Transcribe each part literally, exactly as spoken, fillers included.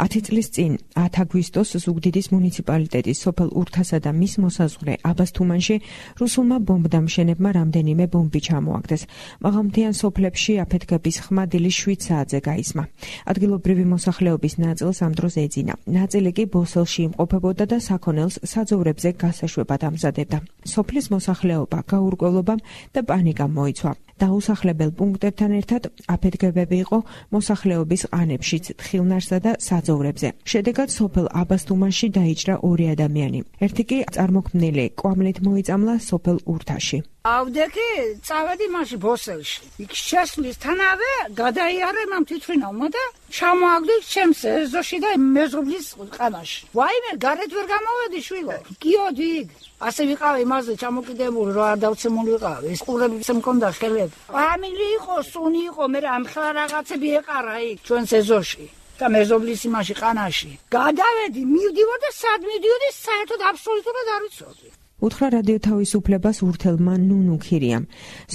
ათი წლის წინ ათი აგვისტოს ზუგდიდის მუნიციპალიტეტის სოფელ ურთასა და მის მოსაზღვრე აბასთუმანში რუსულმა ბომბდამშენებმა რამდენიმე ბომბი ჩამოაგდეს. მაღალმთიან სოფლებში აფეთქების ხმა დილის შვიდ საათზე გაისმა. ადგილობრივი მოსახლეობის ნაწილს ამ დროს ეძინა. ნაწილი კი ბოსელში იმყოფებოდა და საქონელს საძოვრებზე გასაშვებად ამზადებდა. სოფლის მოსახლეობა გაურკვევლობამ და პანიკამ მოიცვა. დაუსახლებელ პუნქტებთან ერთად აფეთქებები იყო მოსახლეობის ყანებშიც, თხილნარსა და საძოვრებზე. შედეგად სოფელ აბასთუმანში დაიჭრა ორი ადამიანი. ერთი კი წარმოქმნილი კვამლით მოიწამლა სოფელ ურთაში. ავდექი წავედი მაშინ ბოსელში. იქ შესვლისთანავე გადაიარე მამ თვითმფრინავმა და ჩამოაგდო ჩემს ეზოში და მეზობლის ყანაში. ვაიმე გარეთ ვერ გამოვედი შვილო. გიოდი იქ. ასე ვიყავ იმაზე ჩამოკიდებული რა არ დავცემული ვიყავ. ეს ყურებიც მქონდა ხელები. ამილი იყო, სუნი იყო, მე ამ ხლა რაღაცები ეყარა იქ ჩვენს ეზოში. და მეზობლის იმაში ყანაში. გადავედი, მივდივარ და სად მივდიოდი, საერთოდ აბსოლუტურად არ ვიცოდი. უთხრა რადიო თავისუფლებას ურთელმა ნუნუ ქირიამ.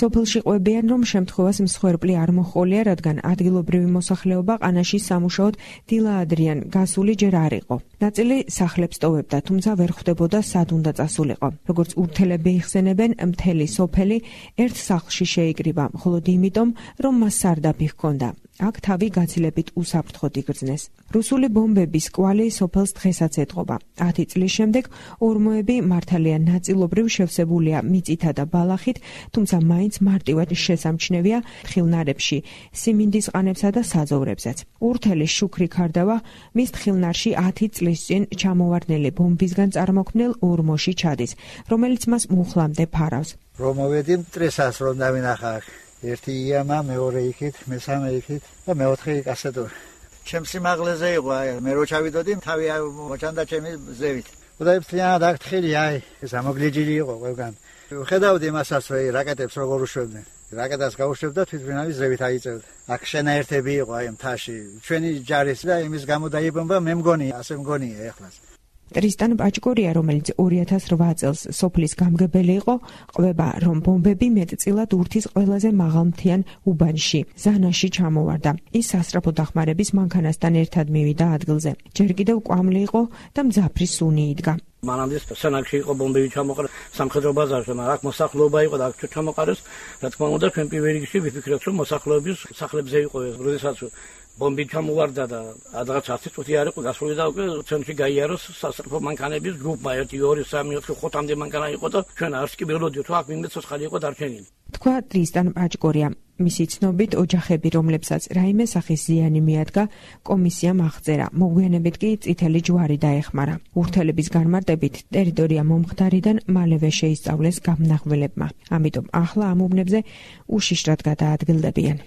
სოფელში ყვებიან, რომ შემთხვევას მსხვერპლი არ მოჰყოლია, რადგან ადგილობრივი მოსახლეობა ყანაში სამუშაოდ დილაადრიან გასული ჯერ არ იყო. ნაწილი სახლებს ტოვებდა, თუმცა ვერ ხვდებოდა სად უნდა წასულიყო. როგორც ურთელები იხსენებენ, მთელი სოფელი ერთ სახლში შეიკრიბა, მხოლოდ იმიტომ, რომ მას სარდაფი ჰქონდა. აქ თავი გაცილებით უსაფრთხოდ იგრძნეს. რუსული ბომბების კვალი სოფელს დღესაც ეტყობა. ათი წლის შემდეგ ორმოები მართალია ნაწილობრივ შევსებულია მიწითა და ბალახით, თუმცა მაინც მარტივად შესამჩნევია თხილნარებში, სიმინდის ყანებსა და საძოვრებზეც. ურთელის შუქრი ქარდავა მის თხილნარში ათი წლის წინ ჩამოვარდნილი ბომბისგან წარმოქმნილ ორმოში ჩადის, რომელიც მას მუხლამდე ფარავს. რომ მოვედი მტრესას რომ დავინახა. ერთი იამა, მეორე იქით, მესამე იქით და მეოთხე იქ ასე თუ. ჩემს სიმაღლეზე იყო, აი, მე რო ჩავიდოდი, თავი მოჩანდა ჩემი ზევით. უდაიფთლიანად აქ თხილი, აი, ეს ამოგლიჯილი იყო ყველგან. ხედავდი მასაც, რომ რაკეტებს როგორ უშვებდნენ. რაკეტას გაუშვებდა თვითმფრინავის ზევით აიწევდა. აქ შენაერთები იყო აი მთაში. ჩვენი ჯარის და იმის გამო დაიბომბა, მე მგონი, ასე მგონია ეხლაც. ტრისტან პაჭკორია, რომელიც ორი ათას რვა წელს სოფლის გამგებელი იყო, ყვება, რომ ბომბები მეტწილად ურთის ყველაზე მაღალმთიან უბანში, ზანაში ჩამოვარდა. ის სასწრაფო დახმარების მანქანასთან ერთად მივიდა ადგილზე. ჯერ კიდევ კვამლი იყო და მძაფრი სუნი იდგა. მანამდე სანაკში იყო ბომბები ჩამოყარა სამხედრო ბაზარში, მაგრამ აქ მოსახლეობა იყო და აქ ჩამოყარეს. რა თქმა უნდა, ჩვენ პირველ რიგში ვიფიქრეთ, რომ მოსახლეობის სახლებზე იყო ეს, როდესაც ბომბი ჩამოვარდა და რაღაც ათი წუთი არ იყო გასული და უკვე ცენტრში გაიაროს სასწრაფო მანქანების ჯგუფმა ერთი ორი სამი ოთხი ხუთამდე მანქანა იყო და ჩვენ არც კი ველოდიოთ, აქ ვინმე ცოცხალი იყო დარჩენილი. თქვა ტრისტან პაჭკორია. მისი ცნობით ოჯახები, რომლებსაც რაიმე სახის ზიანი მიადგა, კომისიამ აღწერა. მოგვიანებით კი წითელი ჯვარი დაეხმარა. ურთელების განმარტებით ტერიტორია მომხდარიდან მალევე შეისწავლეს გამნახველებმა. ამიტომ ახლა ამ უბნებზე უშიშრად გადაადგილდებიან.